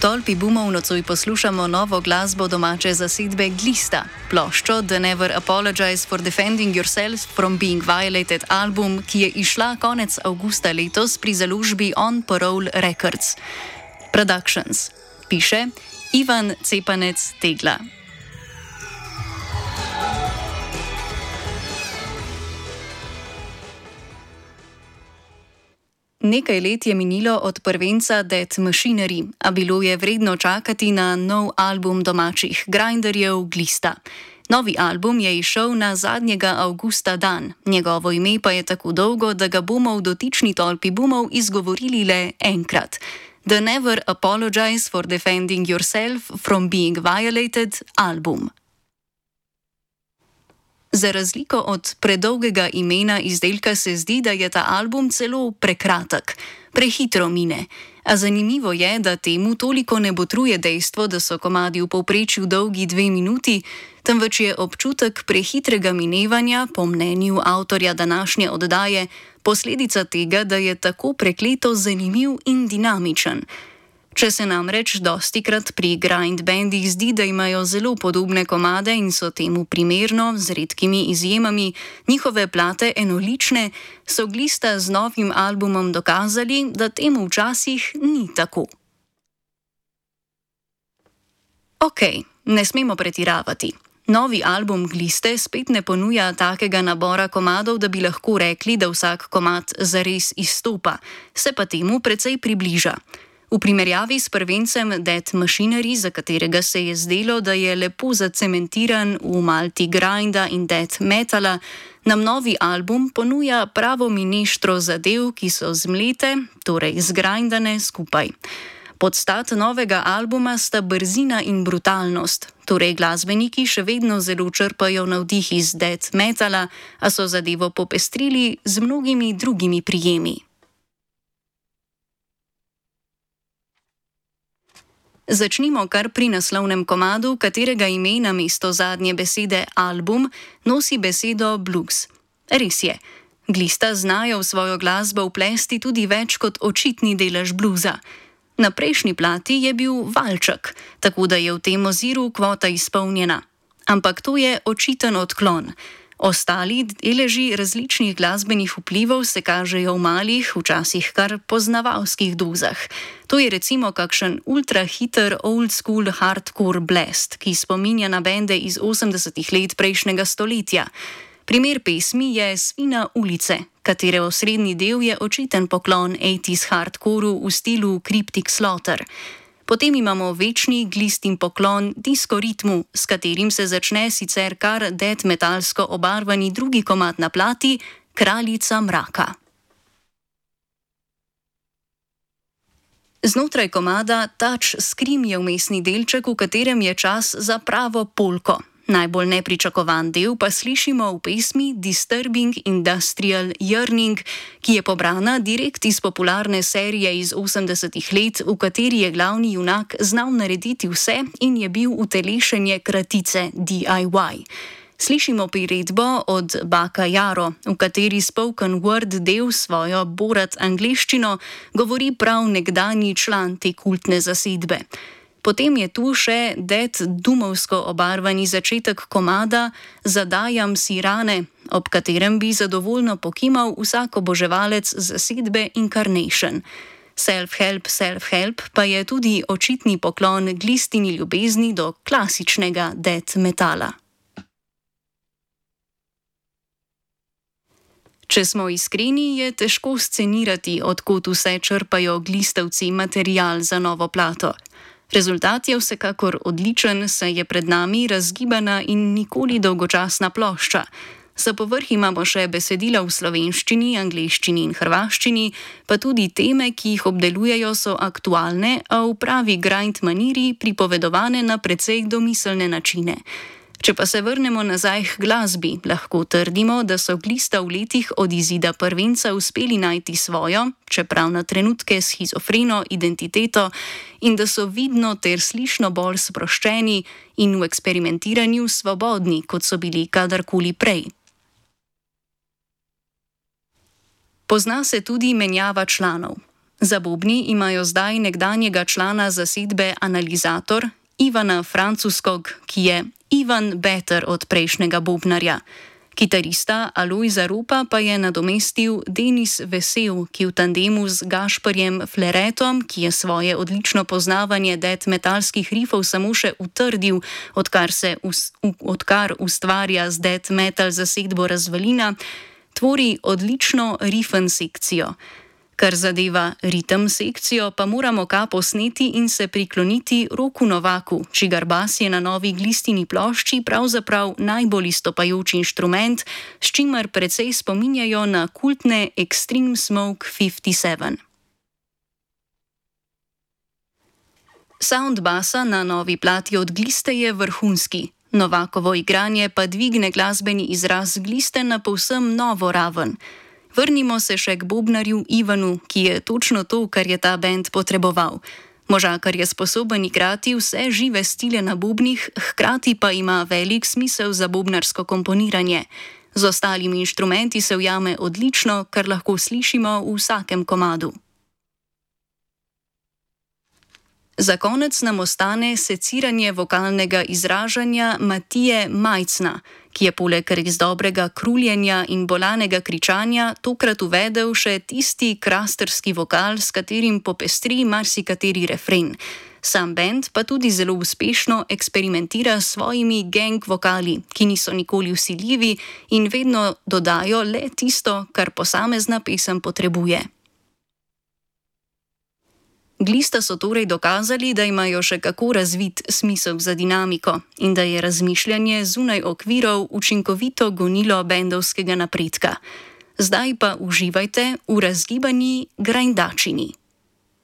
tolpi Boomov nocoj poslušamo novo glasbo domače zasedbe Glista, ploščo The Never Apologize for Defending Yourself from Being Violated album, ki je izšla konec avgusta letos pri založbi On Parole Records. Productions. Piše Ivan Cepanec Tegla. Nekaj let je minilo od prvenca Dead Machinery, a bilo je vredno čakati na nov album domačih grinderjev Glista. Novi album je izšel na zadnjega avgusta dan, njegovo ime pa je tako dolgo, da ga bomo v dotični tolpi Boomov izgovorili le enkrat. The Never Apologize for Defending Yourself from Being Violated album. Za razliko od predolgega imena izdelka se zdi, da je ta album celo prekratek, prehitro mine. A zanimivo je, da temu toliko ne botruje dejstvo, da so komadi v povprečju dolgi 2 minuti, temveč je občutek prehitrega minevanja, po mnenju avtorja današnje oddaje, posledica tega, da je tako prekleto zanimiv in dinamičen. Če se namreč dostikrat pri grind bandih zdi, da imajo zelo podobne komade in so temu primerno, z redkimi izjemami, njihove plate enolične, so Glista z novim albumom dokazali, da temu včasih ni tako. Okej, ne smemo pretiravati. Novi album Gliste spet ne ponuja takega nabora komadov, da bi lahko rekli, da vsak komad zares izstopa, se pa temu precej približa. V primerjavi s prvencem Dead Machinery, za katerega se je zdelo, da je lepo zacementiran v malti grinda in death metala, nam novi album ponuja pravo mineštro zadev, ki so zmlete, torej zgrindane skupaj. Podstat novega albuma sta brzina in brutalnost, torej glasbeniki še vedno zelo črpajo navdih iz death metala, a so zadevo popestrili z mnogimi drugimi prijemi. Začnimo kar pri naslovnem komadu, katerega ime namesto zadnje besede album nosi besedo blues. Res je, Glista znajo v svojo glasbo vplesti tudi več kot očitni delež bluza. Na prejšnji plati je bil valček, tako da je v tem oziru kvota izpolnjena. Ampak to je očiten odklon. Ostali deleži različnih glasbenih vplivov se kažejo v malih, včasih kar poznavalskih dozah. To je recimo kakšen ultrahiter old school hardcore blast, ki spominja na bende iz 80-ih let prejšnjega stoletja. Primer pesmi je Svina ulice, katere osrednji del je očiten poklon 80s hardcoreu v stilu Cryptic Slaughter. Potem imamo večni Glistin poklon disco ritmu, s katerim se začne sicer kar death metalsko obarvani drugi komad na plati, Kraljica mraka. Znotraj komada Touch Scream je vmesni delček, v katerem je čas za pravo polko. Najbolj nepričakovan del pa slišimo v pesmi Disturbing Industrial Yearning, ki je pobrana direkt iz popularne serije iz 80-ih let, v kateri je glavni junak znal narediti vse in je bil utelešenje kratice DIY. Slišimo priredbo od Baka Jaro, v kateri spoken word del svojo borat angleščino govori prav nekdanji član te kultne zasedbe. Potem je tu še death doomovsko obarvani začetek komada Zadajam si rane, ob katerem bi zadovoljno pokimal vsak oboževalec zasedbe Incarnation. Self-help pa je tudi očitni poklon Glistini ljubezni do klasičnega death metala. Če smo iskreni, je težko scenirati, od kod vse črpajo Glistovci material za novo plato. Rezultat je vsekakor odličen, saj je pred nami razgibana in nikoli dolgočasna plošča. Za povrh imamo še besedila v slovenščini, angleščini in hrvaščini, pa tudi teme, ki jih obdelujejo, so aktualne, a v pravi grind maniri pripovedovane na precej domiselne načine. Če pa se vrnemo nazaj k glasbi, lahko trdimo, da so Glista v letih od izida prvenca uspeli najti svojo, čeprav na trenutke shizofreno identiteto, in da so vidno ter slišno bolj sproščeni in v eksperimentiranju svobodni, kot so bili kadarkoli prej. Pozna se tudi menjava članov. Za bobni imajo zdaj nekdanjega člana zasedbe Analizator Ivana Francuskog, ki je Ivan better od prejšnjega bobnarja. Kitarista Alojza Ropa pa je nadomestil Denis Vesel, ki v tandemu z Gašperjem Fleretom, ki je svoje odlično poznavanje death metalskih rifov samo še utrdil, odkar ustvarja z death metal zasedbo Razvalina, tvori odlično rifen sekcijo. Kar zadeva ritem sekcijo, pa moramo kapo sneti in se prikloniti Roku Novaku, čigar bas je na novi Glistini plošči pravzaprav najbolj izstopajoč inštrument, s čimer precej spominjajo na kultne Extreme Smoke 57. Sound basa na novi plati od Gliste je vrhunski. Novakovo igranje pa dvigne glasbeni izraz Gliste na povsem novo raven. Vrnimo se še k bobnarju Ivanu, ki je točno to, kar je ta bend potreboval. Možakar je sposoben igrati vse žive stile na bobnih, hkrati pa ima velik smisel za bobnarsko komponiranje. Z ostalimi inštrumenti se ujame odlično, kar lahko slišimo v vsakem komadu. Za konec nam ostane seciranje vokalnega izražanja Matije Majcna, ki je poleg res dobrega kruljenja in bolanega kričanja tokrat uvedel še tisti krasterski vokal, s katerim popestri marsikateri refren. Sam bend pa tudi zelo uspešno eksperimentira s svojimi gang vokali, ki niso nikoli vsiljivi in vedno dodajo le tisto, kar posamezna pesem potrebuje. Glista so torej dokazali, da imajo še kako razvit smisel za dinamiko in da je razmišljanje zunaj okvirov učinkovito gonilo bendovskega napredka. Zdaj pa uživajte v razgibani grindačini.